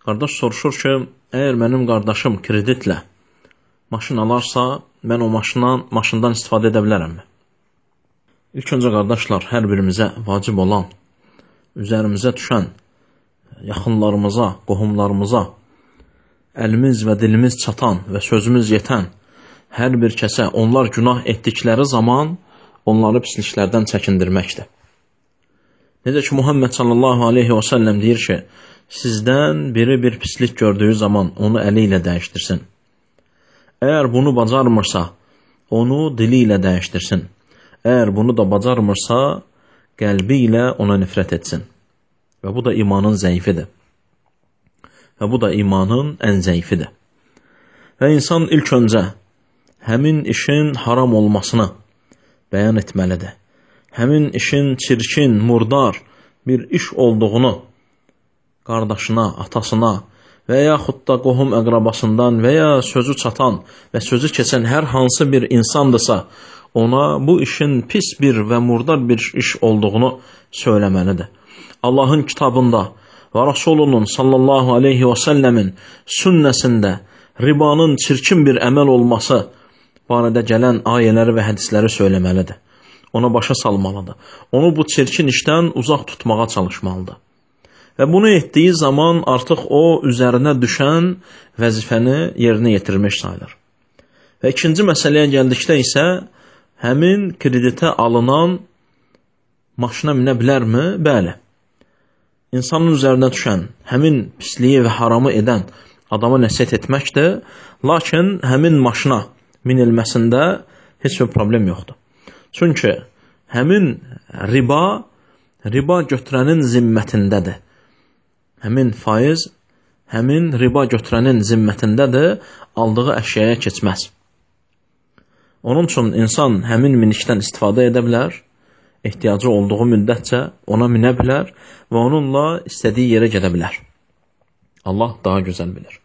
Qardaş soruşur ki, əgər mənim qardaşım kreditlə maşın alarsa, mən o maşından istifadə edə bilərəmmi? İlk öncə qardaşlar, hər birimizə vacib olan, üzərimizə düşən, yaxınlarımıza, qohumlarımıza, əlimiz və dilimiz çatan və sözümüz yetən hər bir kəsə onlar günah etdikləri zaman onları pisliklərdən çəkindirməkdir. Necə ki, Muhammed sallallahu aleyhi və səlləm deyir ki, sizdən biri bir pislik gördüyü zaman onu əli ilə dəyişdirsin. Əgər bunu bacarmırsa, onu dili ilə dəyişdirsin. Əgər bunu da bacarmırsa, qəlbi ilə ona nifrət etsin. Və bu da imanın zəifidir. Və bu da imanın ən zəifidir. Və insan ilk öncə həmin işin haram olmasını bəyan etməlidir. Həmin işin çirkin, murdar bir iş olduğunu qardaşına, atasına və yaxud da qohum əqrabasından və ya sözü çatan və sözü keçən hər hansı bir insandırsa, ona bu işin pis bir və murdar bir iş olduğunu söyləməlidir. Allahın kitabında və Rasulunun sallallahu aleyhi və səlləmin sünnəsində ribanın çirkin bir əməl olması barədə gələn ayələri və hədisləri söyləməlidir. Ona başa salmalıdır. Onu bu çirkin işdən uzaq tutmağa çalışmalıdır. Və bunu etdiyi zaman artıq o üzərinə düşən vəzifəni yerinə yetirmiş sayılır. Və ikinci məsələyə gəldikdə isə həmin kreditə alınan maşına minə bilərmi? Bəli. İnsanın üzərinə düşən həmin pisliyi və haramı edən adama nəsihət etməkdir, lakin həmin maşına minilməsində heç bir problem yoxdur. Çünki həmin riba götürənin zimmətindədir. Həmin faiz, həmin riba götürənin zimmətindədir, aldığı əşyaya keçməz. Onun üçün insan həmin minikdən istifadə edə bilər, ehtiyacı olduğu müddətcə ona minə bilər və onunla istədiyi yerə gedə bilər. Allah daha gözəl bilir.